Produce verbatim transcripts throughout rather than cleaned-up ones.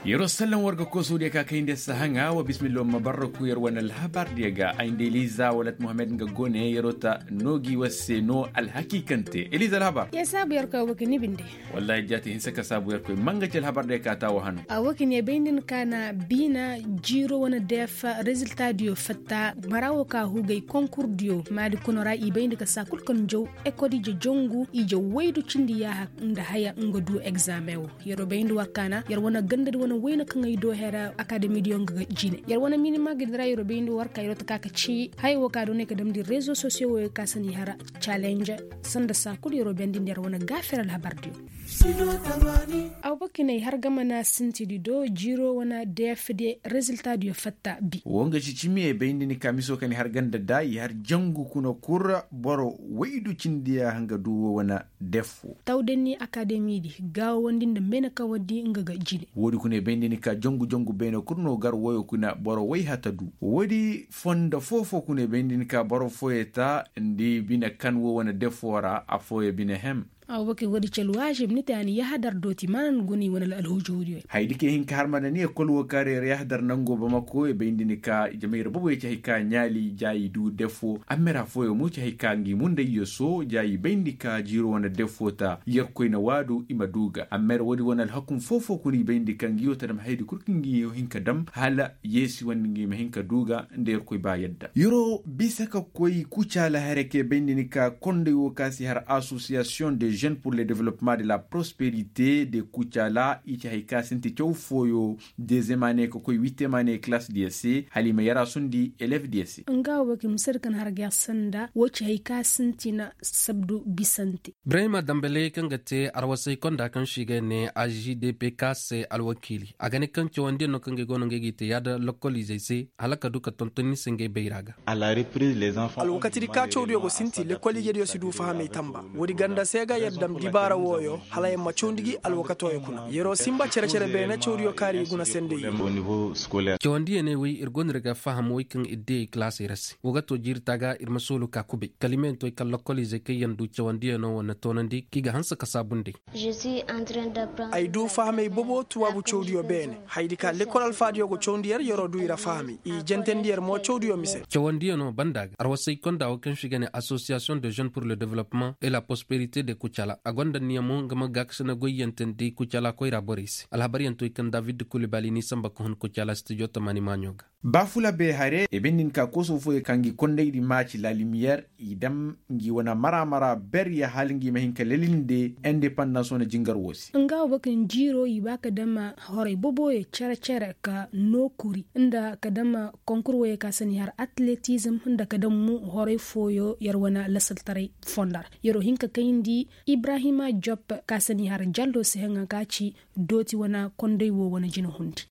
Yeroo sallan war ga koosoo diya ka kayndi sahaŋa wa bismillah ma barraku yer wane alhabar diya ga ay nda eliza walat muhammed nga gone yeroo ta noo gi war se noo alhakiikante eliza alhabar. Yer saabu yer koy a woo ka ni binde. Wallaahi jaati hinsa ka saabu yer koy manga ci alhabar diya ka taa wa hano. A woo ka ni ya bay nda ni ka na biina jiiroo wane deef rezilta diyo fatta mara woo ka hugay konkur diyo maadi kuna ra i bay nda ka saa kul kaŋ jaw ekol ije jongu ije waydu cindi yaaha nda haya nga du egzaameŋ woo. Yer wo bayndi war kaana yer wane gandadi wane wayna kaŋ ay do hera akademidiyo nga ga jine yer wane minima gadi ra yer wo bayndi war ka yer wo taka ka ci haya wo ka do ne ka damndi rezo sosiyo wo yer ka sandi hara calenje sanda saa kulu yer wo bayndi nda yer wane gaafir alhabardiyo. Aw bakinay har ga mana sintidi do jiiro wane dfd reziltadiyo fatta bi. Wo nga ci cimi ay bayndi ni ka miso ka ni har ganda da i har jangu kuna kura boro waydu cindi ya hanga du wo wane defo. Tawdanni akademidi gaawawandi nda meenakawandi nga ga jine. Woodi kuna i bayndi ni ka jongu jongu beene kul no gar woyo kuna boro way hata du. Woodi fondo foo-foo kuna i bayndi ni ka boro fooyey ta nda i bine kan wo wane defo ra affooyey bine hem. Awa bakir woodi ci alwaazib ni te a na yahadar dooti maana ni guna i wane alhujuuriyo. Hayadi kaŋ i hin ka har ma na ni ekol wo kaŋ ra yer yahadar nango bamako i bayndi ni ka jamay ra boboyey ci hay ka ɲaali ja i du defo. Amma yer affooyaŋ mo ci hay ka ngi mundayyo so ja i bayndi ka jiiro wane defo ta yerkoy na waadu i ma du ga amma yer woodi wane alhakum foo-foo kuna i bayndi ka ngi yoo ta dam hayadi kul kaŋ ngi yoo hin ka dam hala yeesi wande ngi ma hin ka du ga nda yerkoy ba yadda yeroo bisa ka koy kucaala hare ka i bayndi ni ka konday wo ka si har asosiyasiyoŋ de jeune pour le developpement de la prosperite de kucaala i ci hay ka sinti caw fooyo dezem ane ka koy witem ane kalaas diya se hala i ma yaraasundi elev diya se. Nga wo bakir musadi kaŋ har ga ya sanda wo ci hay ka sintina sabdu bisante. Ibrahima dambale kaŋ ga te arwasay konda kaŋ se i ga ne agdpk se alwakiili a ga ne kaŋ cawandiyaŋ no kaŋ ga ay go no ngey ga i te yaada lokoliizey se hala ka du ka tonton ni se ngey bayra ga. Alwakatidi ka cawdiyo go sinti lekoliijediyo si du fahamey tamba. Woodi ganda se ga yer dam dibaara wooyo hala yer ma cawndi gi alwakatooyo kuna yeroo sinba cere-cere beene cawdiyo kaari i guna sendey. Cawandiyaney wey ir go no ir ga faham wey kaŋ ir diyey kalaasey ra se wo ga to jiiri taaga ir ma soolu ka kubay kala i ma yaŋ to ay kala lokoliizey kaŋ yaŋ du cawandiyanoo wane toonandi kaŋ i ga hanse ka saabu nd'ey. Ay du fahamey bobo tuwaabu cawdiyo beene. Hayadi ka lekol alfaadiyo go cawndi yer yeroo du i ra fahamey i jentandi yer mo cawdiyo mise. Cawandiyanoo banda ga arwasay konda wo kaŋ se i ga ne asosiyasiyoŋ de jeune pour le developpement et la prosperite de kucala a gonda niya mo nga ma gaakasina goyyantandi kucala koyra borey se alhabaryaŋ to i kaŋ david kulibali n'i samba ka hun kucala stijo tamaani maaɲo ga. Baafula bay hare i bayndi ni ka koosoo fooyey ka ngi kondaydi maaci la limiyeer i dam ngi wane mara-mara ber ya hala ngi ma hin ka lelinde indepandans wane jingar woo se. Nga wo bakir jiiroo i ba ka dam horay boboyo cere-cere ka noo kuri nda ka dam konkur woyey ka sani har atletizm nda ka dam mu horay fooyo yer wane lasaltaray fondo ra. Yeroo hin ka kayndi ibrahima job ka sani har jallo se haŋa ka ci dooti wane konday wo wane jina hundi.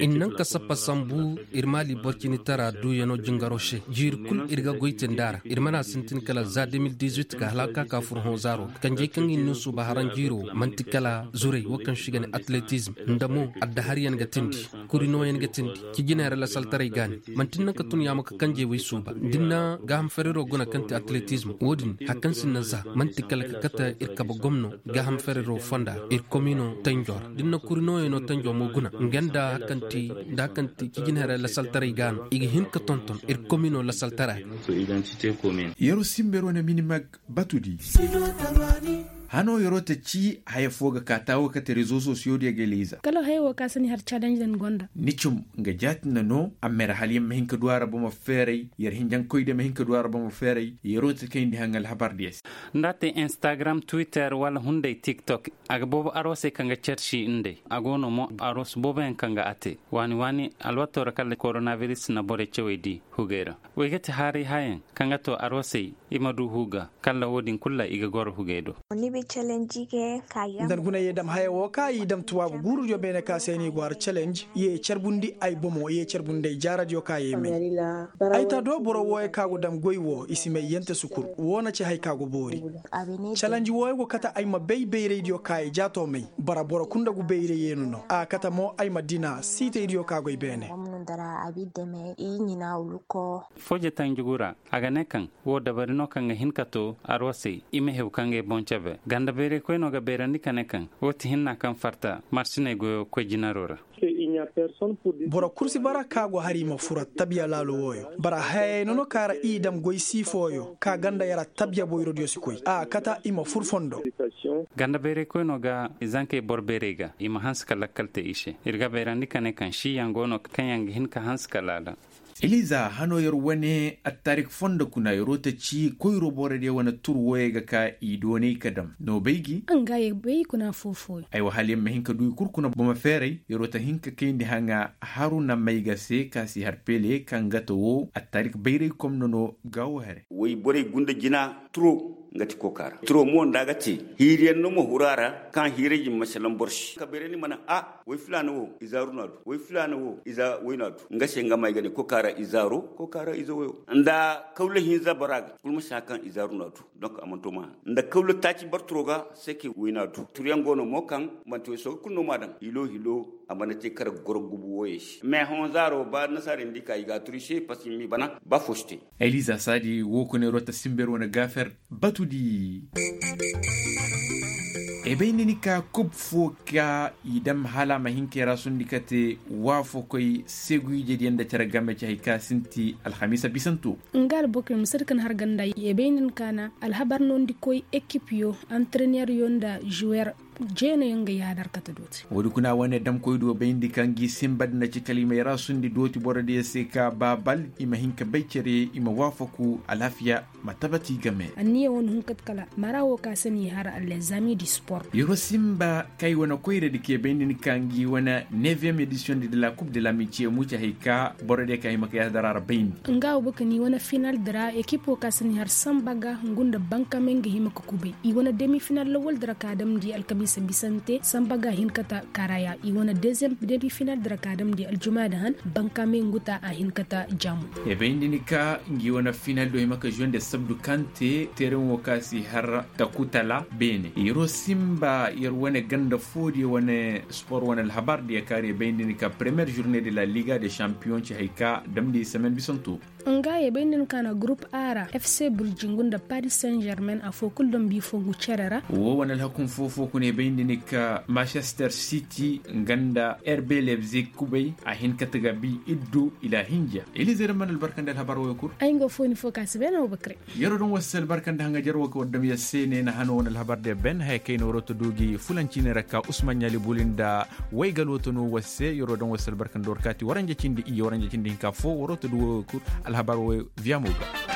Ir naŋ ka sappa sambu ir maali borcinitara duuyanoo jingaro se jiiri kul ir ga goy te nda a ra ir mana sintin kala za de mil dizuit ga hala ka ka fur hõ zaaro kanjey kaŋ ir na suuba haranjiiro man'ti kala zuray wo kaŋ se i ga ne atletizm nda mo addaharyaŋ ga tindi kuri nooyaŋ ga tindi cijiney ra lasaltaray gaani. Man'ti ni naŋ ka tun yaamo ka kanjey way suuba da ni na gaaham fereroo guna kaŋ ti atletizm wo-din hari kaŋ si ni na za man'ti kala ka kate ir kabe gomno gaaham fereroo fonda ra ir kominoo tanjo ra da ni na kuri nooyaŋo tanjo mo guna nga nda hari kaŋ ti nda hari kaŋ ti cijiney ra lasaltaray gaani i ga hin ka tonton ir kominoo lasaltara ga. Yeroo simba yeroo na minimag batudi. Hanoo yeroo ta ci haya foo ga kaa taawo kate rezo sosiyo diyo ga eliiza kala haya woo ka sani har calenj din gonda. Ni cum nga jaati nda no amma yer hala yer ma hin ka du a ra bomo feeray yer hinjankoy diyo ma hin ka du a ra bomo feeray yeroo ta kayndi haŋ alhabar diyo se. Nda a te instagram twitter wala hunday tiktok a ga boobo arwasey kaŋ ga carci nd'ey a go no mo arwas booboyaŋ kaŋ ga a te waani waani alwatoo ra kala koronabiris na borey cawey di hugey ra. Wey ga ti haaray hayaŋ kaŋ ga too arwasey i ma du huga kala wo-din kulu ra i ga goro hugey do. Nda ni guna ye dam haya wo ka i dam tuwaabu guurudiyo beene ka se no i go har calenj ye carbundi ay bomo ye carbundi ay jaaradiyo ka ye may. Ay ta do boro wooyo ka go dam goy wo i si may yente sukur wo na ci hay ka go boori. Calenj wooyo go kate ay ma bay bayraydiyo ka ye jaato may bara boro kunda gu bayray yeenu no a kate mo ay ma dina siitaydiyo ka goy beene. dara a bi deme i ɲina wuluko. Fooje tanjugu ra, a ga ne kaŋ woo dabari no kaŋ ga hin ka to arwasey i ma hew ka ngey boŋ cebe ganda bayraykoy no ga bayrandi ka ne kaŋ woo ti hinna kaŋ farta marsiney goyo koy jinaro ra. Boro kul si bara ka go hari i ma fura tabiya laalo wooyo bara hayay nono ka ra i dam goy sii fooyo ka ganda yara tabiya boyrodiyo si koy a kata i ma fur fondo. Ganda bayraykoy no ga i zankey boro bayray ga i ma hanse ka lakkal te i se ir ga bayrandi ka ne kaŋ siiyaŋ go no kaŋ yaŋ ga hin ka hanse ka laala. Iliza hano yer wane attaarik fondo kuna yeroo ta ci koyro borodiyo wane tur wooyey ga ka i doonay ka dam no bay gi. Nga ye bay kuna foofooyo. Aywa hala yer ma hin ka du i kul kuna boma feeray yeroo ta hin ka kayndi haŋa haruna may ga se ka si har pele kaŋ ga ta woo attaarik bayray komno no. Gaawo here. Way borey gunda jina turo nga ti koka ra turo mo nda a ga te hiiriyaŋ no ma huru a ra kaŋ hiirey jin ma salaŋ boro se ka bayray ni mana a way filaana wo iza ru no a du way filaana wo iza way no a du nga se nga ma ay ga ne koka ra iza ro koka ra iza wayo nda kawla hinza boro a ga kul ma si hã kaŋ iza ru no a du. Donk a mana to ma hã nda kawla taaci boro turo ga se ke way no a du turyaŋ go no mo kaŋ manti way sooga kulu no ma a daŋ hilo hilo. A mana te kar goro gubu wooyey se mais hõ zaaro ba nasaarey nda i ka i ga a turu i se parceque i m'i bana ba fo si te. Eliza saadi woo kuna yeroo ta simber wane gaafer batudi. Ebay nda ni ka kub foo ka i dam hala a ma hin ka yaraasundi ka te waafakoy seguijediyaŋ nda cere game ci hay ka sinti alhamiisa bisanto. Nga albokoy ma sadi ka ni har ganda ebay nda ni ka na alhabar noondikoy ekipiyo antreneryo nda juwer. Jeenayaŋ ga yaadar kate dooti. Woodi kuna wane damkoy do bayndi kaŋ gi sinba nda na ci kala i ma yaraasundi dooti borodiyo se ka ba bal i ma hin ka bay cere i ma waafaku alaafiya ma tabati game. Anniya wane hun kate kala mara wo ka se ni har allezami di sport. Yeroo sinba kay wane koyradi ke bayndi ni kaŋ gi wane neviyem edisiyoŋ di de la kub de la mitiye muca hay ka borodiyo ka hima ka yaadar a ra bayndi. Nga wo baka ni wane final di ra ekipo ka se ni har samba ga hungu nda bankame nga hima ka kubay i wane demi final lawal di ra ka damndi alkamiisa bisante samba ga hin ka ta karaya i wane deziyem demi final di ra ka damndi aljuma da han bankame nguta a hin ka ta jaamu. Ebay nda ni ka ngi wane final do hima ka juwende sabdu kaŋ te teereŋ wo ka si har takutala beene yeroo simba yer wane ganda foodiyo wane sport wane alhabar diyo kaari ebay nda ni ka premiyer jurne de la liga de shampiyoŋ ci hay ka damndi semen bisanto. Nga ye bay nda ni ka na gurup a ra fc burjingu nda paris saint germain afo kulu dambi fo ngu cere ra. Wo wane alhakun foo foo kuna ye bay nda ni ka manchester city nga nda rb lebzig kubay a hin ka taga bi iddu ila hinja. Ilize da mana albarkandi alhabar wo ye kul. Ay nga foo ni foo ka si bay na wo bakre. Yeroo daŋ war se albarkandi haŋajer wo ka war dam yer se ne na hano wane alhabar de ben haya kay na waroo ta du gi fulanci ne ra ka usman ɲaali buli nda waygaloo ta no war se yeroo daŋ war se albarkandi war kaati waranja cindi iyye waranja cindi hinka foo waroo ta du wo ye kul. Alhabar wo ye viya mo ga.